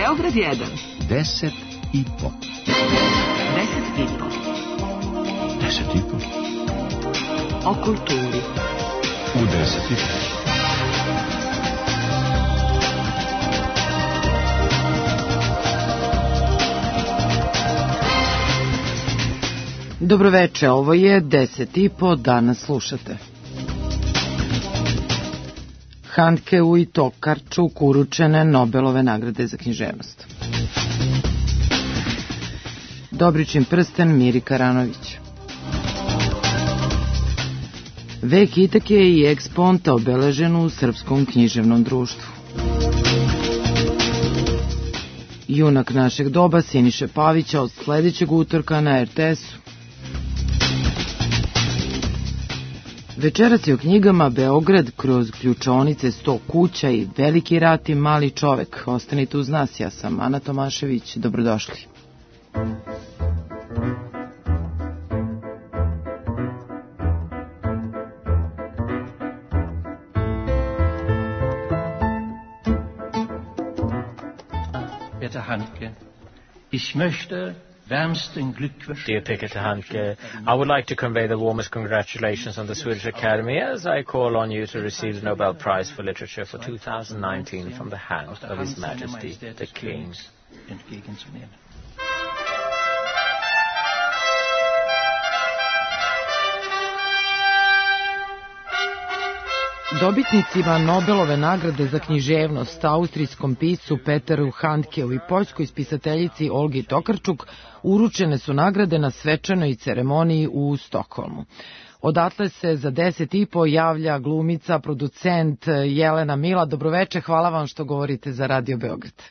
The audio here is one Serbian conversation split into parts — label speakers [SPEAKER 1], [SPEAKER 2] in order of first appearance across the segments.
[SPEAKER 1] Beograd 1.
[SPEAKER 2] 10 i po.
[SPEAKER 1] 10 i po.
[SPEAKER 2] 10 i po.
[SPEAKER 1] O kulturi.
[SPEAKER 2] U 10 i po.
[SPEAKER 3] Dobroveče, ovo je 10 i po, danas slušate. Handkeu i Tokarčuk uručene Nobelove nagrade za književnost. Dobričin prsten Miri Karanović. Vek Itake i Eksponta obeležen u Srpskom književnom društvu. Junak našeg doba Siniše Pavića od sledećeg utorka na RTS-u. Večeras je o knjigama Beograd kroz ključaonice 100 kuća i Veliki rat i mali čovek. Ostanite uz nas, ja sam Ana Tomašević, dobrodošli.
[SPEAKER 4] Peter Handke, ich möchte wärmsten Glückwünsche.
[SPEAKER 5] Dear Peter Handke, I would like to convey the warmest congratulations on the Swedish Academy as I call on you to receive the Nobel Prize for Literature for 2019 from the hand of His Majesty the King.
[SPEAKER 4] Entgegenzunehmen.
[SPEAKER 3] Dobitnicima Nobelove nagrade za književnost, austrijskom piscu Peteru Handkeu i poljskoj spisateljici Olgi Tokarčuk, uručene su nagrade na svečanoj ceremoniji u Stokholmu. Odatle se za 10 i po javlja glumica, producent Jelena Mila. Dobroveče, hvala vam što govorite za Radio Beograd.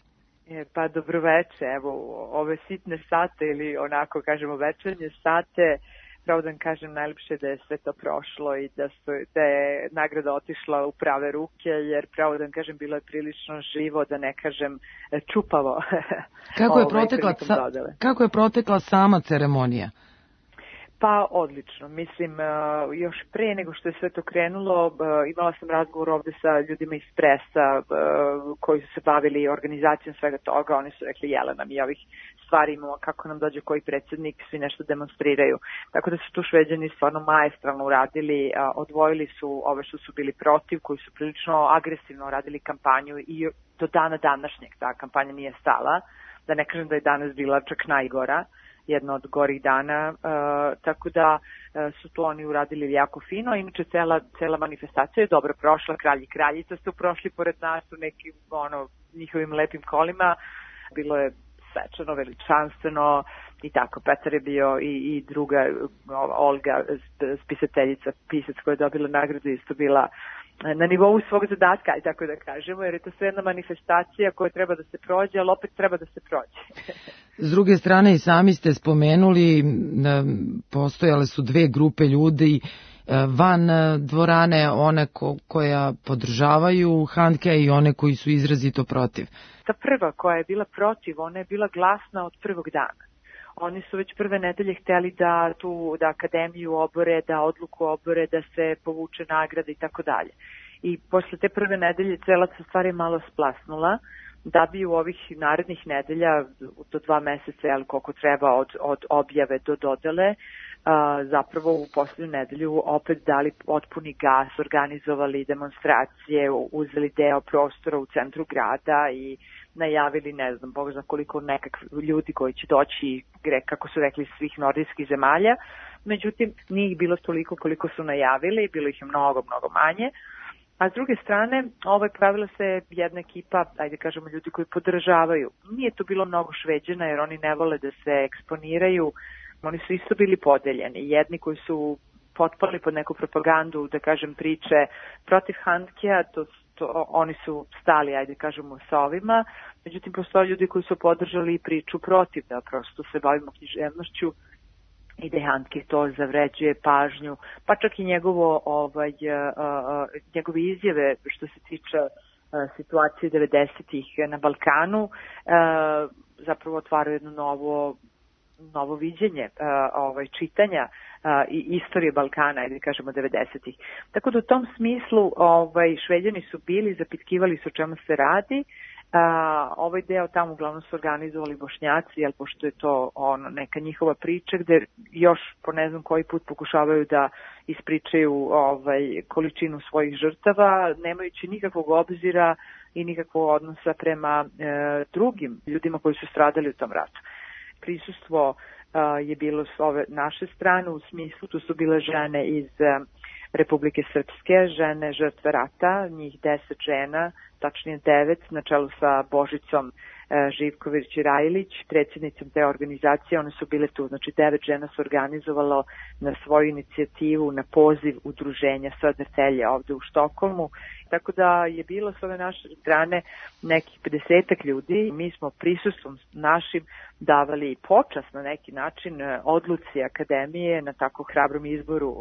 [SPEAKER 6] Pa dobroveče, evo ove sitne sate ili onako kažemo večernje sate, pravo da vam kažem najlepše da je sve to prošlo i da je nagrada otišla u prave ruke, jer pravo da vam kažem bilo je prilično živo, da ne kažem čupavo.
[SPEAKER 3] Kako je protekla sama ceremonija?
[SPEAKER 6] Pa odlično, mislim još pre nego što je sve to krenulo imala sam razgovor ovde sa ljudima iz presa koji su se bavili organizacijom svega toga. Oni su rekli Jelena, mi ovih stvari imamo, kako nam dođe koji predsjednik, svi nešto demonstriraju. Tako da su tu Šveđani stvarno maestralno uradili, odvojili su ove što su bili protiv, koji su prilično agresivno radili kampanju i do dana današnjeg ta kampanja nije stala, da ne kažem da je danas bila čak najgora, jedna od gorih dana, tako da su to oni uradili jako fino. Inače, cela manifestacija je dobro prošla, kralj i kraljica su prošli pored nas u nekim njihovim lepim kolima, bilo je svečano, veličanstveno i tako. Petar je bio i druga Olga, spisateljica, pisac koja je dobila nagradu, isto bila na nivou svog zadatka, tako da kažemo, jer je to sve jedna manifestacija koja treba da se prođe, ali opet treba da se prođe.
[SPEAKER 3] S druge strane, i sami ste spomenuli, postojale su dve grupe ljudi van dvorane, one koja podržavaju Handkea i one koji su izrazito protiv.
[SPEAKER 6] Ta prva koja je bila protiv, ona je bila glasna od prvog dana. Oni su već prve nedelje hteli da akademiju obore, da odluku obore, da se povuče nagrada i tako dalje. I posle te prve nedelje cela se stvar je malo splasnula, da bi u ovih narednih nedelja do 2 meseca, ali koliko treba od objave do dodele, zapravo u posljednju nedelju opet dali potpuni gas, organizovali demonstracije, uzeli deo prostora u centru grada i najavili, ne znam, Bog zna koliko nekakvi ljudi koji će doći, kako su rekli, svih nordijskih zemalja. Međutim, nije ih bilo toliko koliko su najavili, bilo ih je mnogo, mnogo manje. A s druge strane, pravila se jedna ekipa, ajde kažemo ljudi koji podržavaju. Nije to bilo mnogo Šveđana jer oni ne vole da se eksponiraju. Oni su isto bili podeljeni. Jedni koji su potpali pod neku propagandu, da kažem, priče protiv Handkea, oni su stali, ajde kažemo, sa ovima. Međutim, postoje ljudi koji su podržali priču protiv, da prosto se bavimo književnošću i da Handke to zavređuje pažnju, pa čak i njegove izjave što se tiče situacije 90-ih na Balkanu, zapravo otvaraju jedno novo viđenje čitanja i istorije Balkana, ajde kažemo 90-ih. Tako da u tom smislu Šveđani su bili, zapitkivali su o čemu se radi, Ovaj deo tamo uglavnom su organizovali Bošnjaci, jer pošto je to neka njihova priča gde još po ne znam koji put pokušavaju da ispričaju količinu svojih žrtava, nemajući nikakvog obzira i nikakvog odnosa prema drugim ljudima koji su stradali u tom ratu. Prisustvo je bilo s ove naše strane, u smislu tu su bile žene iz Republike Srpske, žene žrtve rata, njih 10 žena, tačnije 9, na čelu sa Božicom Živković-Rajlić, predsjednicom te organizacije. One su bile tu, znači 9 žena su organizovalo na svoju inicijativu, na poziv udruženja Södertälje ovde u Štokholmu. Tako da je bilo s ove naše strane nekih 50 ljudi. Mi smo prisustvom našim davali počast na neki način odluci akademije na tako hrabrom izboru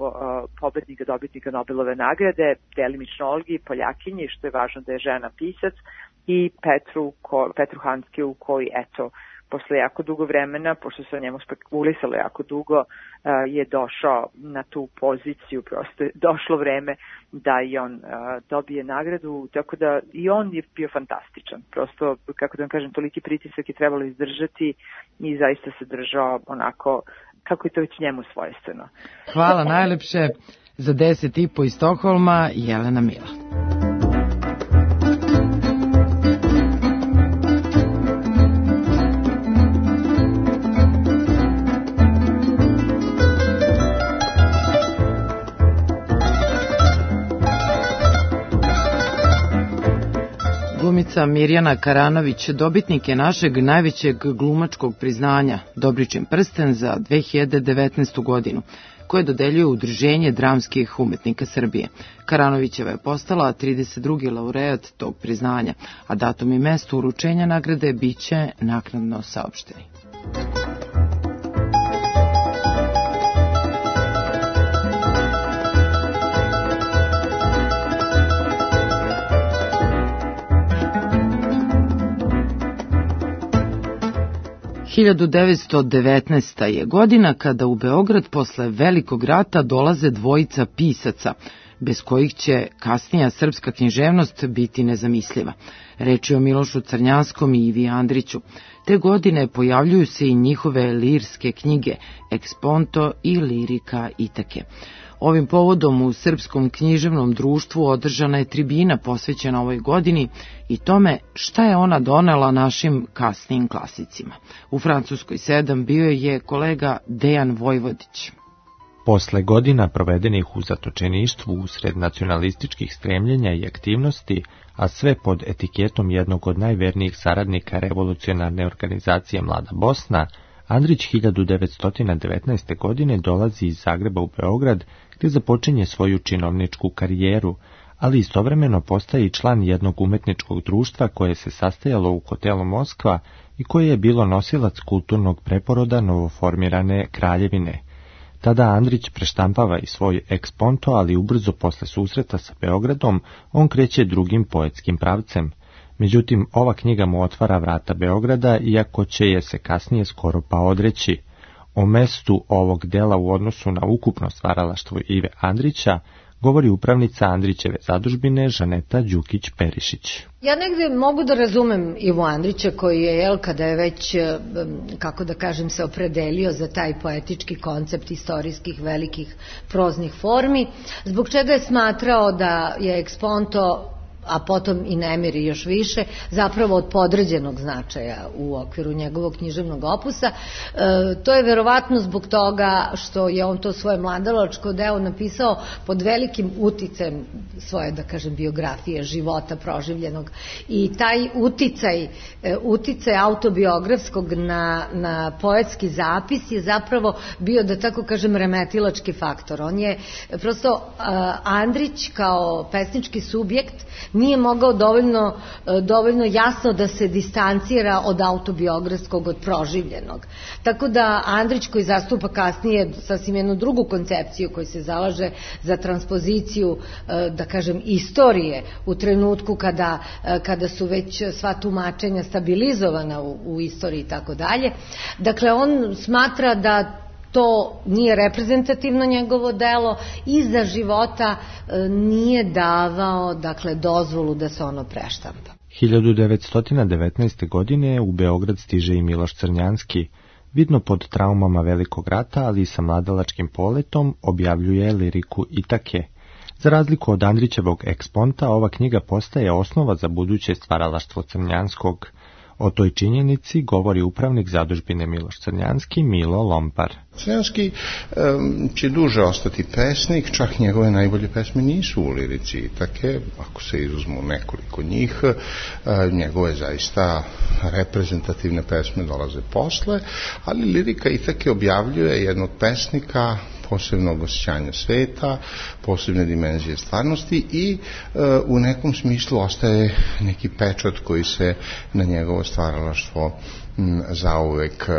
[SPEAKER 6] pobednika, dobitnika Nobelove nagrade, delimično Olgi, Poljakinji, što je važno da je žena pisac, i Petru Handkeu, koji eto posle jako dugo vremena, pošto se o njemu spekulisalo jako dugo, je došao na tu poziciju, prosto je došlo vreme da i on dobije nagradu, tako da i on je bio fantastičan. Prosto, kako da vam kažem, toliki pritisak je trebalo izdržati i zaista se držao onako kako je to već njemu svojstveno.
[SPEAKER 3] Hvala najlepše. Za 10,5 iz Stokholma, Jelena Mila. Glumica Mirjana Karanović dobitnik je našeg najvećeg glumačkog priznanja Dobričin prsten za 2019. godinu, koje dodeljuje Udruženje dramskih umetnika Srbije. Karanovićeva je postala 32. laureat tog priznanja, a datum i mesto uručenja nagrade biće naknadno saopšteni. – 1919. je godina kada u Beograd posle Velikog rata dolaze dvojica pisaca, bez kojih će kasnija srpska književnost biti nezamisliva. Reč je o Milošu Crnjanskom i Ivi Andriću. Te godine pojavljuju se i njihove lirske knjige Eksponto i Lirika Itake. Ovim povodom u Srpskom književnom društvu održana je tribina posvećena ovoj godini i tome šta je ona donela našim kasnijim klasicima. U Francuskoj 7 bio je kolega Dejan Vojvodić.
[SPEAKER 7] Posle godina provedenih u zatočeništvu usred nacionalističkih stremljenja i aktivnosti, a sve pod etiketom jednog od najvernijih saradnika revolucionarne organizacije Mlada Bosna, Andrić 1919. godine dolazi iz Zagreba u Beograd, gde započinje svoju činovničku karijeru, ali istovremeno postaje i član jednog umetničkog društva koje se sastajalo u hotelu Moskva i koje je bilo nosilac kulturnog preporoda novoformirane kraljevine. Tada Andrić preštampava i svoj Eksponto, ali ubrzo posle susreta sa Beogradom on kreće drugim poetskim pravcem. Međutim, ova knjiga mu otvara vrata Beograda, iako će je se kasnije skoro pa odreći. O mestu ovog dela u odnosu na ukupno stvaralaštvo Ive Andrića govori upravnica Andrićeve zadužbine Žaneta Đukić-Perišić.
[SPEAKER 8] Ja negde mogu da razumem Ivu Andrića koji je, kada je već, kako da kažem, se opredelio za taj poetički koncept istorijskih velikih proznih formi, zbog čega je smatrao da je Eksponto, a potom i Nemiri još više, zapravo od podređenog značaja u okviru njegovog književnog opusa. To je verovatno zbog toga što je on to svoje mladalačko delo napisao pod velikim uticajem svoje, da kažem, biografije, života proživljenog. I taj uticaj autobiografskog na poetski zapis je zapravo bio, da tako kažem, remetilački faktor. On je prosto, Andrić kao pesnički subjekt nije mogao dovoljno jasno da se distancira od autobiografskog, od proživljenog. Tako da Andrić, koji zastupa kasnije sasvim jednu drugu koncepciju, koji se zalaže za transpoziciju, da kažem, istorije u trenutku kada su već sva tumačenja stabilizovana u istoriji i tako dalje. Dakle, on smatra da to nije reprezentativno njegovo delo i za života nije davao, dakle, dozvolu da se ono preštampa.
[SPEAKER 7] 1919. godine u Beograd stiže i Miloš Crnjanski. Vidno pod traumama Velikog rata, ali i sa mladalačkim poletom, objavljuje liriku Itake. Za razliku od Andrićevog Eksponta, ova knjiga postaje osnova za buduće stvaralaštvo Crnjanskog. O toj činjenici govori upravnik zadužbine Miloš Crnjanski, Milo Lompar.
[SPEAKER 9] Crnjanski će duže ostati pesnik, čak njegove najbolje pesme nisu u lirici Itake, ako se izuzmu nekoliko njih, njegove zaista reprezentativne pesme dolaze posle, ali lirika Itake objavljuje jednog pesnika posebnog osjećanja sveta, posebne dimenzije stvarnosti i u nekom smislu ostaje neki pečat koji se na njegovo stvaralaštvo zauvek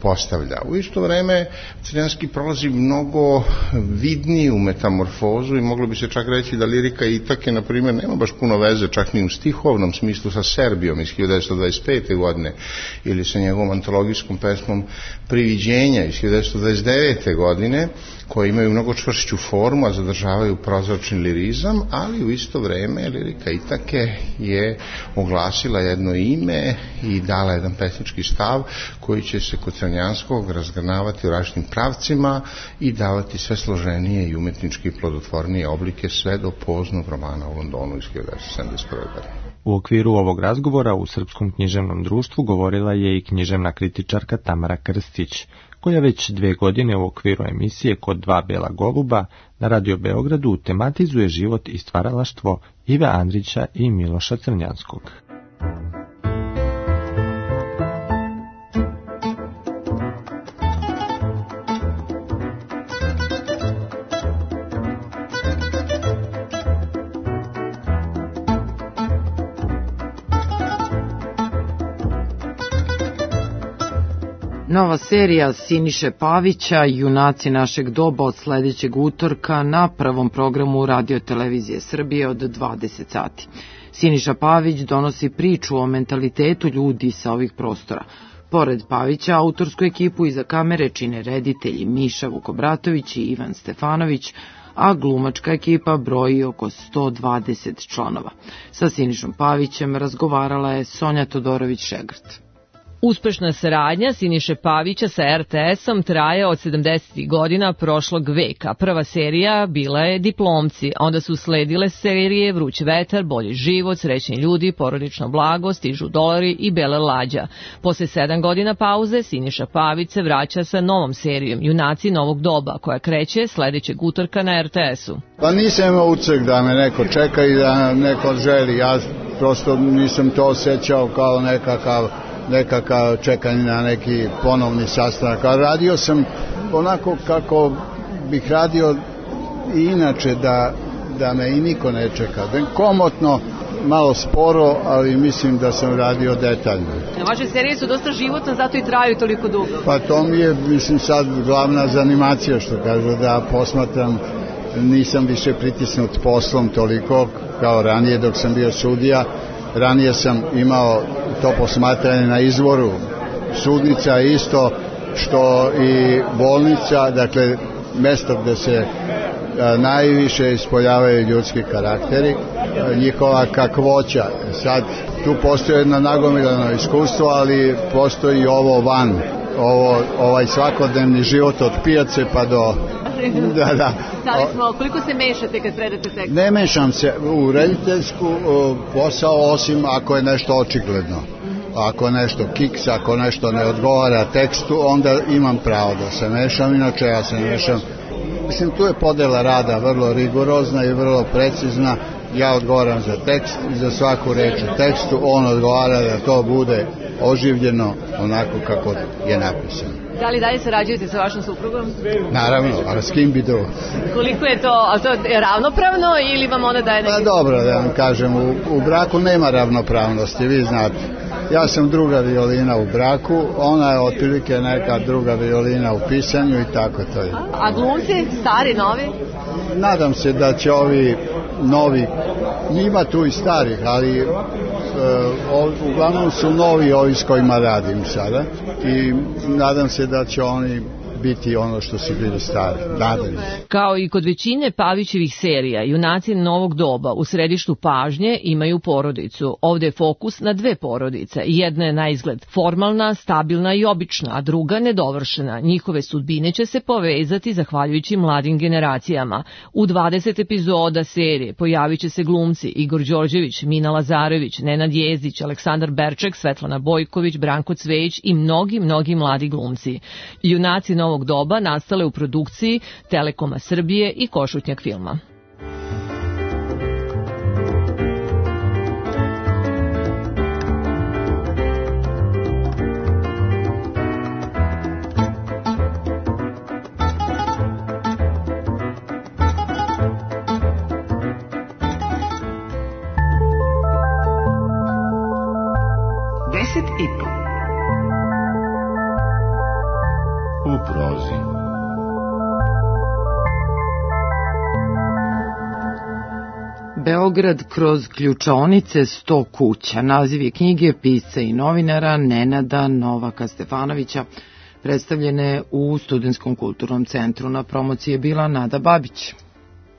[SPEAKER 9] postavlja. U isto vreme Crnjanski prolazi mnogo vidniju metamorfozu i moglo bi se čak reći da lirika Itake, na primjer, nema baš puno veze čak ni u stihovnom smislu sa Serbijom iz 1925. godine ili sa njegovom antologijskom pesmom Priviđenja iz 1929. godine, koje imaju mnogo čvršću formu, a zadržavaju prozračni lirizam, ali u isto vreme lirika Itake je oglasila jedno ime i dala jedan pesnički stav koji će se kod Crnjanskog razgrnavati u različitim pravcima i davati sve složenije i umetnički plodotvornije oblike sve do poznog romana u Londonu iz 1971. godine.
[SPEAKER 7] U okviru ovog razgovora u Srpskom književnom društvu govorila je i književna kritičarka Tamara Krstić, koja već 2 godine u okviru emisije Kod dva bela goluba na Radio Beogradu tematizuje život i stvaralaštvo Ive Andrića i Miloša Crnjanskog.
[SPEAKER 3] Nova serija Siniše Pavića, Junaci našeg doba, od sledećeg utorka na prvom programu Radio-televizije Srbije od 20 sati. Siniša Pavić donosi priču o mentalitetu ljudi sa ovih prostora. Pored Pavića, autorsku ekipu iza kamere čine reditelji Miša Vukobratović i Ivan Stefanović, a glumačka ekipa broji oko 120 članova. Sa Sinišom Pavićem razgovarala je Sonja Todorović-Šegrt.
[SPEAKER 10] Uspešna saradnja Siniše Pavića sa RTS-om traje od 70. godina prošlog veka. Prva serija bila je Diplomci, onda su sledile serije Vruć vetar, Bolji život, Srećni ljudi, Porodično blago, Stižu dolari i Bele lađa. Posle 7 godina pauze Siniša Pavić se vraća sa novom serijom Junaci novog doba, koja kreće sledećeg utorka na RTS-u.
[SPEAKER 11] Pa nisam imao ucek da me neko čeka i da neko želi. Ja prosto nisam to osjećao kao nekakav čekanje na neki ponovni sastanak. A radio sam onako kako bih radio i inače, da me i niko ne čeka. Komotno, malo sporo, ali mislim da sam radio detaljno.
[SPEAKER 10] Vaše serije su dosta životne, zato i traju toliko dugo.
[SPEAKER 11] Pa to mi je, mislim, sad glavna zanimacija, što kažu, da posmatram. Nisam više pritisnut poslom toliko kao ranije dok sam bio sudija. Ranije sam imao to posmatranje na izvoru. Sudnica isto što i bolnica, dakle mesto gde se najviše ispoljavaju ljudski karakteri, njihova kakvoća. Sad tu postoji jedno nagomilano iskustvo, ali postoji i ovo van, ovaj svakodnevni život od pijace pa do... Da.
[SPEAKER 10] Koliko se mešate kad predate tekst?
[SPEAKER 11] Ne mešam se u rediteljsku posao, osim ako je nešto očigledno. Ako je nešto kiks, ako nešto ne odgovara tekstu, onda imam pravo da se mešam, inače ja se ne mešam. Mislim, tu je podela rada vrlo rigorozna i vrlo precizna. Ja odgovaram za tekst i za svaku reč u tekstu, on odgovara da to bude oživljeno onako kako je napisano.
[SPEAKER 10] Da li dalje sarađujete sa vašom suprugom?
[SPEAKER 11] Naravno, a s kim bi to?
[SPEAKER 10] Koliko je to, ali to je ravnopravno ili vam ona daje neki...
[SPEAKER 11] Pa dobro, da vam kažem, u braku nema ravnopravnosti, vi znate. Ja sam druga violina u braku, ona je otprilike neka druga violina u pisanju i tako to je.
[SPEAKER 10] A glumci, stari, novi?
[SPEAKER 11] Nadam se da će ovi novi, ima tu i starih, ali uglavnom su novi ovi s kojima radim sada i nadam se da će oni biti ono što si bili stari. Nadalje.
[SPEAKER 10] Kao i kod većine Pavićevih serija, junaci novog doba u središtu pažnje imaju porodicu. Ovde je fokus na dve porodice. Jedna je na izgled formalna, stabilna i obična, a druga nedovršena. Njihove sudbine će se povezati zahvaljujući mladim generacijama. U 20 epizoda serije pojavit će se glumci Igor Đorđević, Mina Lazarević, Nenad Jezdić, Aleksandar Berček, Svetlana Bojković, Branko Cvejić i mnogi mladi glumci. Junaci novog doba nastale u produkciji Telekoma Srbije i Košutnjak filma.
[SPEAKER 2] U prozi.
[SPEAKER 3] Beograd kroz ključaonice 100 kuća. Naziv je knjige pisca i novinara Nenada Novaka Stefanovića, predstavljene u Studentskom kulturnom centru. Na promociji je bila Nada Babić.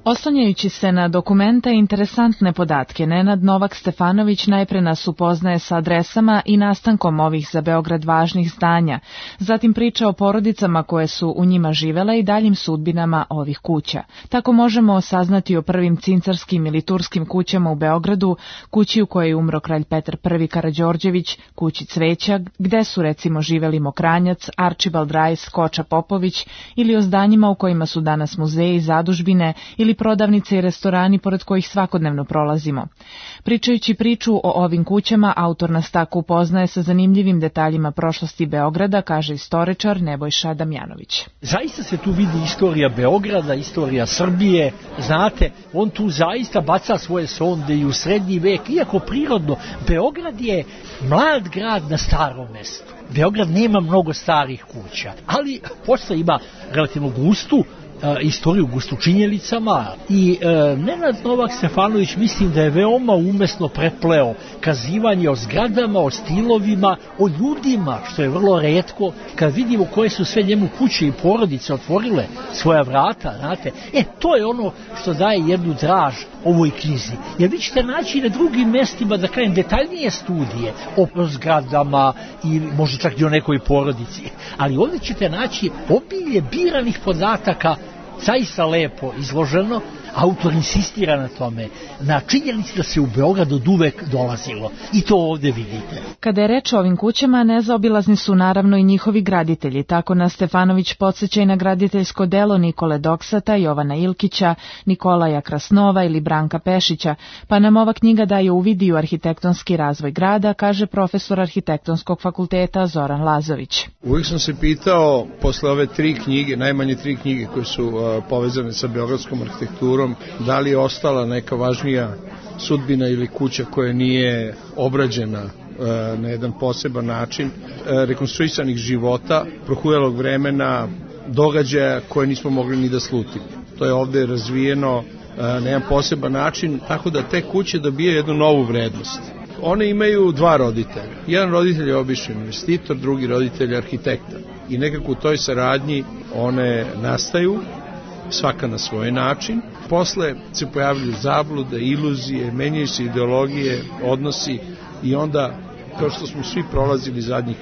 [SPEAKER 12] Oslanjajući se na dokumente i interesantne podatke, Nenad Novak Stefanović najpre nas upoznaje sa adresama i nastankom ovih za Beograd važnih zdanja, zatim priča o porodicama koje su u njima živele i daljim sudbinama ovih kuća. Tako možemo saznati o prvim cincarskim ili turskim kućama u Beogradu, kući u kojoj je umro kralj Petar I Karađorđević, kući Cveća, gde su recimo živeli Mokranjac, Arčibald Rajs, Koča Popović, ili o zdanjima u kojima su danas muzeji, zadužbine ili prodavnice i restorani pored kojih svakodnevno prolazimo. Pričajući priču o ovim kućama, autor nas tako upoznaje sa zanimljivim detaljima prošlosti Beograda, kaže istoričar Nebojša Damjanović.
[SPEAKER 13] Zaista se tu vidi istorija Beograda, istorija Srbije, znate, on tu zaista baca svoje sonde i u srednji vek, iako prirodno, Beograd je mlad grad na starom mestu. Beograd nema mnogo starih kuća, ali posle ima relativno gustu istoriju, gustu činjenicama i Nenad Novak Stefanović mislim da je veoma umesno prepleo kazivanje o zgradama, o stilovima, o ljudima, što je vrlo retko kad vidimo koje su sve njemu kuće i porodice otvorile svoja vrata, znate, to je ono što daje jednu draž ovoj knjizi. Jer vi ćete naći na drugim mestima, da kažem, detaljnije studije o zgradama i možda čak i o nekoj porodici, ali ovdje ćete naći obilje biranih podataka, zaista lepo izloženo. Autor insistira na tome, na činjenici da se u Beograd od uvek dolazilo i to ovdje vidite.
[SPEAKER 12] Kada je reč o ovim kućama, nezaobilazni su naravno i njihovi graditelji. Tako nas Stefanović podsjeća i na graditeljsko delo Nikole Doksata, Jovana Ilkića, Nikolaja Krasnova ili Branka Pešića, pa nam ova knjiga daje uvid u arhitektonski razvoj grada, kaže profesor Arhitektonskog fakulteta Zoran Lazović.
[SPEAKER 14] Uvijek sam se pitao, posle ove tri knjige, najmanje tri knjige koje su povezane sa beogradskom arhitekturom, da li je ostala neka važnija sudbina ili kuća koja nije obrađena na jedan poseban način, rekonstruisanih života, prohujelog vremena, događaja koje nismo mogli ni da slutimo. To je ovdje razvijeno na jedan poseban način, tako da te kuće dobije jednu novu vrednost. One imaju dva roditelja. Jedan roditelj je običan investitor, drugi roditelj je arhitekta. I nekako u toj saradnji one nastaju, svaka na svoj način. Posle se pojavljaju zablude, iluzije, menjaju se ideologije, odnosi i onda, kao što smo svi prolazili zadnjih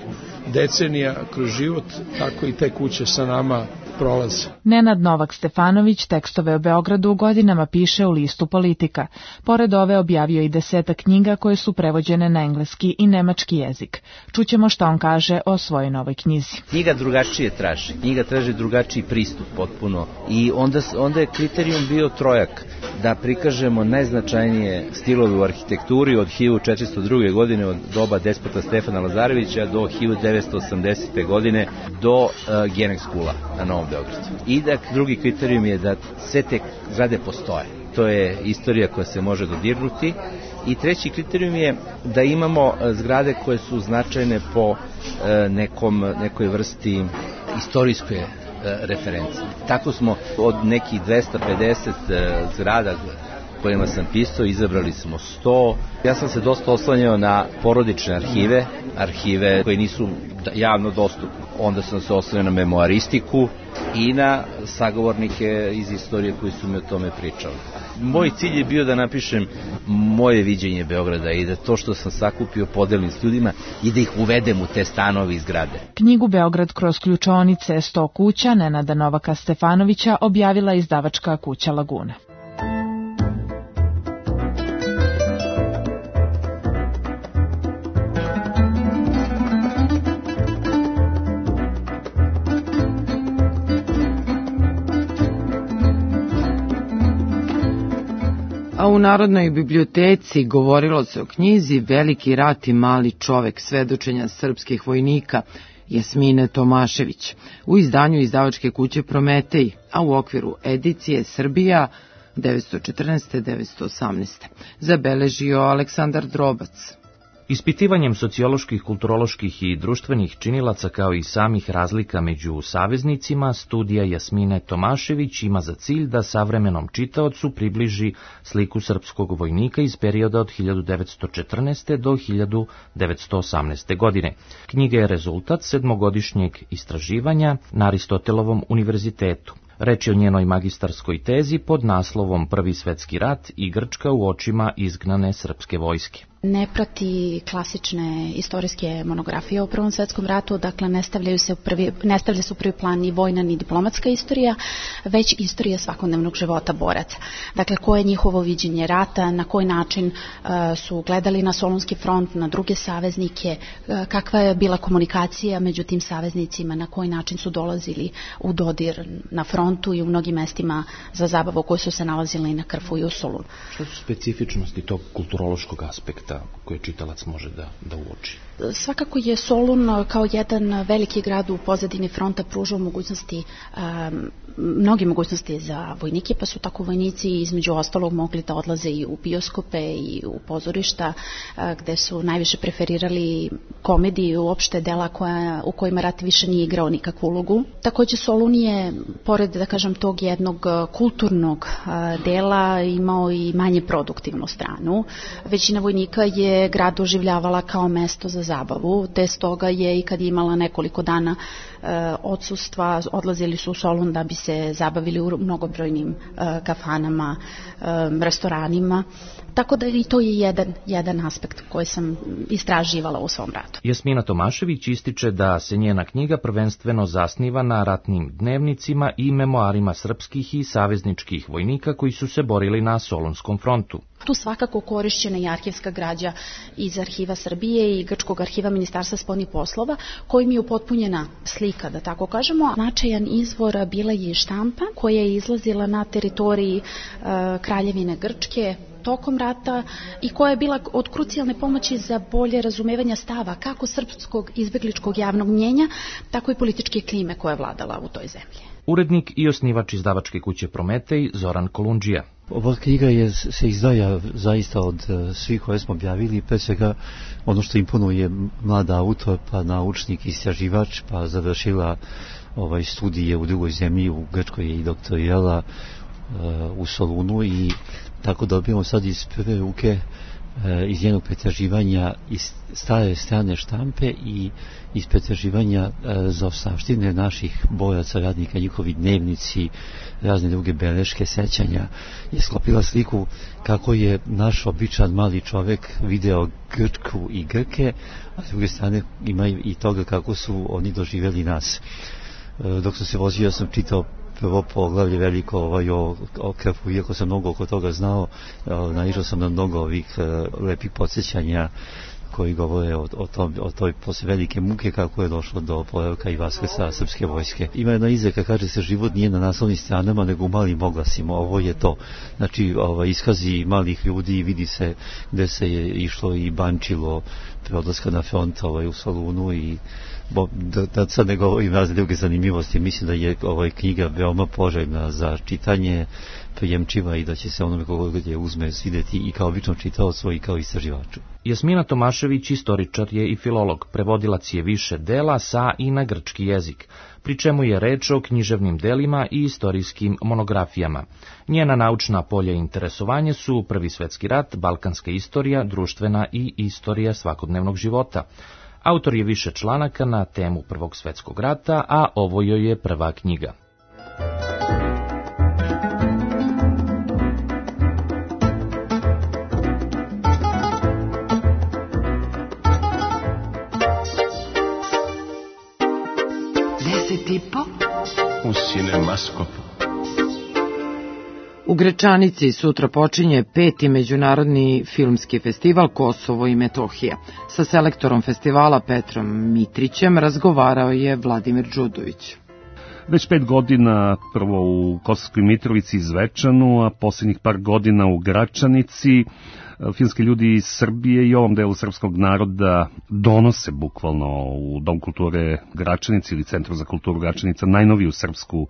[SPEAKER 14] decenija kroz život, tako i te kuće sa nama prolaze.
[SPEAKER 12] Nenad Novak Stefanović tekstove o Beogradu godinama piše u listu Politika. Pored ove objavio i 10 knjiga koje su prevođene na engleski i nemački jezik. Čućemo šta on kaže o svojoj novoj knjizi.
[SPEAKER 15] Knjiga drugačije traži. Knjiga traži drugačiji pristup potpuno. I onda je kriterijum bio trojak. Da prikažemo najznačajnije stilove u arhitekturi od 1402. godine, od doba despota Stefana Lazarevića do 1980. godine do Genex Schoola na Novom Beogradu. I da drugi kriterijum je da sve te zgrade postoje. To je istorija koja se može dodirnuti. I treći kriterijum je da imamo zgrade koje su značajne po nekoj vrsti istorijske referencije. Tako smo od nekih 250 zgrada kojima sam pisao, izabrali smo 100. Ja sam se dosta oslanjao na porodične arhive koje nisu javno dostupne. Onda sam se oslanjao na memoaristiku i na sagovornike iz istorije koji su mi o tome pričali. Moj cilj je bio da napišem moje viđenje Beograda i da to što sam sakupio podelim s ljudima i da ih uvedem u te stanove i zgrade.
[SPEAKER 12] Knjigu Beograd kroz ključaonice 100 kuća Nenada Novaka Stefanovića objavila izdavačka kuća Laguna.
[SPEAKER 3] A u Narodnoj biblioteci govorilo se o knjizi Veliki rat i mali čovek, svedočenja srpskih vojnika Jasmine Tomašević u izdanju izdavačke kuće Prometej, a u okviru edicije Srbija 1914-1918. Zabeležio Aleksandar Drobac.
[SPEAKER 16] Ispitivanjem socioloških, kulturoloških i društvenih činilaca kao i samih razlika među saveznicima, studija Jasmine Tomašević ima za cilj da savremenom čitaocu približi sliku srpskog vojnika iz perioda od 1914. do 1918. godine. Knjiga je rezultat 7-godišnjeg istraživanja na Aristotelovom univerzitetu. Reč je o njenoj magistarskoj tezi pod naslovom Prvi svetski rat i Grčka u očima izgnane srpske vojske.
[SPEAKER 17] Ne prati klasične istorijske monografije o Prvom svetskom ratu, dakle ne stavlja se u prvi plan ni vojna ni diplomatska istorija, već istorija svakodnevnog života boraca. Dakle, koje je njihovo viđenje rata, na koji način su gledali na Solunski front, na druge saveznike, kakva je bila komunikacija među tim saveznicima, na koji način su dolazili u dodir na frontu i u mnogim mestima za zabavu koji su se nalazili na Krfu i u Solunu.
[SPEAKER 16] Što su specifičnosti tog kulturološkog aspekta koje čitalac može da uoči?
[SPEAKER 17] Svakako je Solun kao jedan veliki grad u pozadini fronta pružao mogućnosti, mnoge mogućnosti za vojnike, pa su tako vojnici između ostalog mogli da odlaze i u bioskope i u pozorišta, gde su najviše preferirali komediju, uopšte dela u kojima rat više nije igrao nikakvu ulogu. Takođe Solun je, pored da kažem tog jednog kulturnog dela, imao i manje produktivnu stranu. Većina vojnika je grad doživljavala kao mesto za zabavu, te stoga je i kad je imala nekoliko dana odsustva, odlazili su u Solun da bi se zabavili u mnogobrojnim kafanama, restoranima. Tako da i to je jedan aspekt koji sam istraživala u svom radu.
[SPEAKER 16] Jasmina Tomašević ističe da se njena knjiga prvenstveno zasniva na ratnim dnevnicima i memoarima srpskih i savezničkih vojnika koji su se borili na Solunskom frontu.
[SPEAKER 17] Tu svakako korišćena i arhivska građa iz Arhiva Srbije i Grčkog arhiva Ministarstva spoljnih poslova, kojim je upotpunjena slika, da tako kažemo. Značajan izvor bila je štampa koja je izlazila na teritoriji Kraljevine Grčke tokom rata i koja je bila od krucijalne pomoći za bolje razumevanja stava kako srpskog izbegličkog javnog mnjenja, tako i političke klime koja je vladala u toj zemlji.
[SPEAKER 16] Urednik i osnivač izdavačke kuće Prometej Zoran Kolundžija.
[SPEAKER 18] Ova knjiga se izdaja zaista od svih koje smo objavili, pre svega ono što imponuje mlad autor, pa naučnik, istraživač, pa završila studije u drugoj zemlji, u Grčkoj je i doktorirala u Solunu i tako dobijemo sad iz prve ruke iz jednog pretraživanja iz stare strane štampe i iz pretraživanja zaostavštine naših boraca, radnika, njihovi dnevnici, razne druge beleške, sećanja, je sklopila sliku kako je naš običan mali čovek video Grčku i Grke, a s druge strane ima i toga kako su oni doživjeli nas. Dok sam se vozio, sam čitao prvo poglavlje veliko o Krfu, iako sam mnogo oko toga znao, naišao sam na mnogo ovih lepih podsjećanja koji govore o toj posle velike muke kako je došlo do poravka i vaskrsa srpske vojske. Ima jedna izreka, kaže se, život nije na naslovnim stranama nego u malim oglasima. Ovo je to. Znači, iskazi malih ljudi, vidi se gde se je išlo i bančilo pre odlaska na front u Solunu i da sad ne govorim razne druge zanimljivosti. Mislim da je knjiga veoma poželjna za čitanje, prijemčiva i da će se onome koga je uzme svideti i kao obično čitaocu i kao istraživaču.
[SPEAKER 16] Jasmina Tomašević istoričar je i filolog, prevodilac je više dela sa i na grčki jezik, pri čemu je reč o književnim delima i istorijskim monografijama. Njena naučna polja interesovanja su Prvi svetski rat, balkanska istorija, društvena i istorija svakodnevnog života. Autor je više članaka na temu Prvog svetskog rata, a ovo joj je prva knjiga.
[SPEAKER 2] U Cinemaskopu.
[SPEAKER 3] U Grečanici sutra počinje 5. Međunarodni filmski festival Kosovo i Metohija. Sa selektorom festivala Petrom Mitrićem razgovarao je Vladimir Đudović.
[SPEAKER 19] Već 5 godina, prvo u Kosovskoj Mitrovici i Zvečanu, a posljednjih par godina u Gračanici, filmski ljudi iz Srbije i ovom delu srpskog naroda donose bukvalno u Dom kulture Gračanici ili Centru za kulturu Gračanica najnoviju srpsku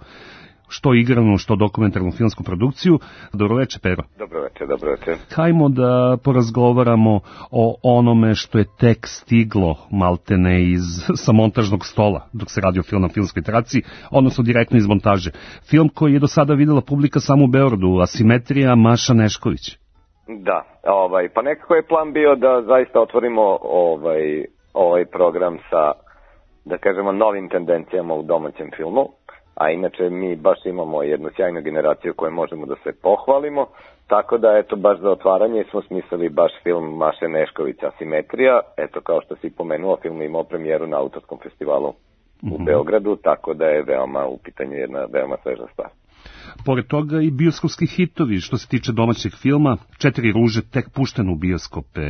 [SPEAKER 19] što igranu, što dokumentarnu filmsku produkciju. Dobroveče, Pero.
[SPEAKER 20] Dobroveče.
[SPEAKER 19] Hajmo da porazgovaramo o onome što je tek stiglo maltene sa montažnog stola dok se radi o film na filmskoj traci, odnosno direktno iz montaže. Film koji je do sada videla publika samo u Beogradu, Asimetrija, Maša Nešković.
[SPEAKER 20] Da, pa nekako je plan bio da zaista otvorimo ovaj program sa, da kažemo, novim tendencijama u domaćem filmu, a inače mi baš imamo jednu sjajnu generaciju koju možemo da se pohvalimo, tako da eto baš za otvaranje smo smislili baš film Maše Nešković Asimetrija, eto kao što si pomenuo, film imao premijeru na autorskom festivalu u Beogradu, tako da je u pitanju jedna veoma sveža stvar.
[SPEAKER 19] Pored toga i bioskopski hitovi što se tiče domaćeg filma, 4 ruže tek pušteno u bioskope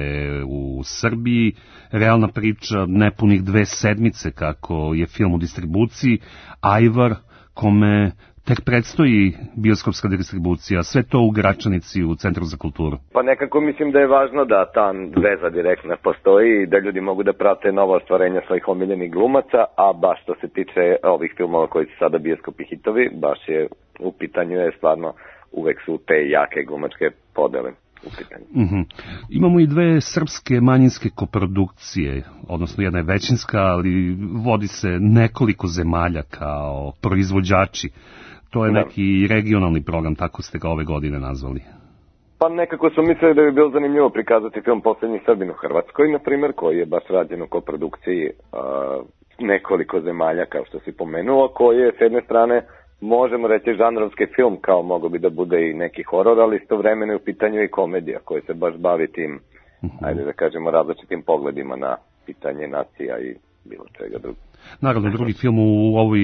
[SPEAKER 19] u Srbiji, realna priča nepunih 2 sedmice kako je film u distribuciji, Ajvar, kome tek predstoji bioskopska distribucija, sve to u Gračanici u Centru za kulturu.
[SPEAKER 20] Pa nekako mislim da je važno da ta veza direktna postoji i da ljudi mogu da prate nova ostvarenja svojih omiljenih glumaca, a baš što se tiče ovih filmova koji su sada bioskopi hitovi, baš je u pitanju je stvarno uvek su te jake glumačke podele u pitanju.
[SPEAKER 19] Imamo i 2 srpske manjinske koprodukcije, odnosno jedna je većinska, ali vodi se nekoliko zemalja kao proizvođači. To je neki regionalni program, tako ste ga ove godine nazvali.
[SPEAKER 20] Pa nekako su mislili da bi bilo zanimljivo prikazati film Poslednji Srbin u Hrvatskoj, na primjer, koji je baš rađen u koprodukciji nekoliko zemalja, kao što si pomenuo, koji je s jedne strane možemo reći žanrovski film, kao mogo bi da bude i neki horor, ali istovremeno je u pitanju i komedija koja se baš bavi tim, ajde da kažemo, različitim pogledima na pitanje nacija i bilo čega drugo.
[SPEAKER 19] Naravno, drugi film u ovoj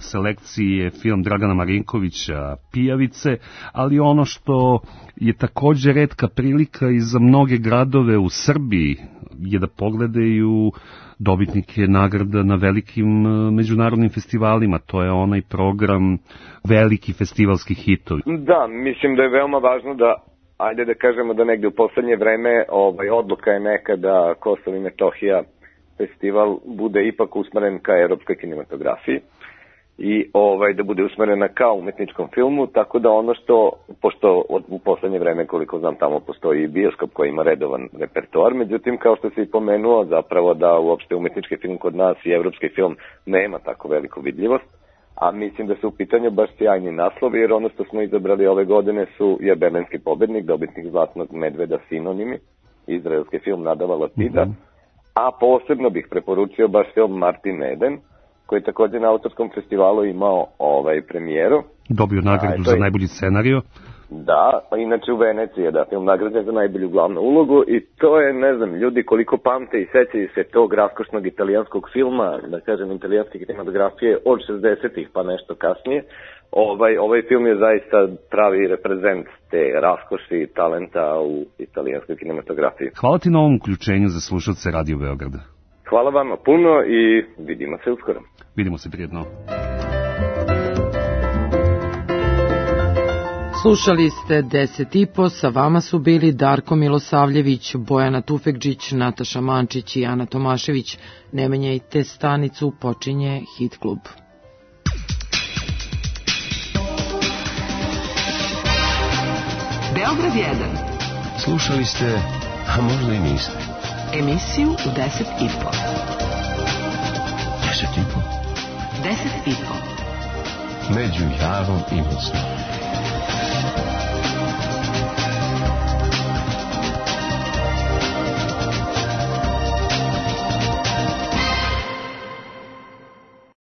[SPEAKER 19] selekciji je film Dragana Marinkovića Pijavice, ali ono što je također retka prilika i za mnoge gradove u Srbiji je da pogledaju dobitnike nagrada na velikim međunarodnim festivalima. To je onaj program veliki festivalskih hitovi.
[SPEAKER 20] Da, mislim da je veoma važno da, ajde da kažemo da negde u poslednje vreme odluka je neka da Kosovo i Metohija festival bude ipak usmeren ka evropskoj kinematografiji i da bude usmerena ka umetničkom filmu, tako da ono što, pošto u poslednje vreme koliko znam tamo postoji i bioskop koji ima redovan repertoar, međutim kao što si pomenuo zapravo da uopšte umetnički film kod nas i evropski film nema tako veliku vidljivost, a mislim da su u pitanju baš sjajni naslovi, jer ono što smo izabrali ove godine je Berlinski pobednik, dobitnik Zlatnog medveda Sinonimi, izraelski film Nadava Lapida, a posebno bih preporučio baš film Martin Eden, koji je također na autorskom festivalu imao premijeru.
[SPEAKER 19] Dobio nagradu za najbolji scenarijo.
[SPEAKER 20] Da, inače u Veneciji je film nagrađen za najbolju glavnu ulogu i to je, ne znam, ljudi koliko pamte i sećaju se tog raskošnog italijanskog filma, da kažem italijanske kinematografije od 60-ih pa nešto kasnije. Ovaj film je zaista pravi reprezent te raskoši i talenta u italijanskoj kinematografiji.
[SPEAKER 19] Hvala ti na ovom uključenju za slušalce Radio Beograda.
[SPEAKER 20] Hvala vama puno i vidimo se uskoro.
[SPEAKER 19] Vidimo se prijetno.
[SPEAKER 3] Slušali ste 10,5, sa vama su bili Darko Milosavljević, Bojana Tufekđić, Nataša Mančić i Ana Tomašević. Ne menjajte stanicu, počinje Hit klub.
[SPEAKER 1] Beograd 1.
[SPEAKER 2] Slušali ste A možda i niste.
[SPEAKER 1] Emisiju u 10:30.
[SPEAKER 2] 10:30?
[SPEAKER 1] 10:30.
[SPEAKER 2] Među Javom i Mocnom.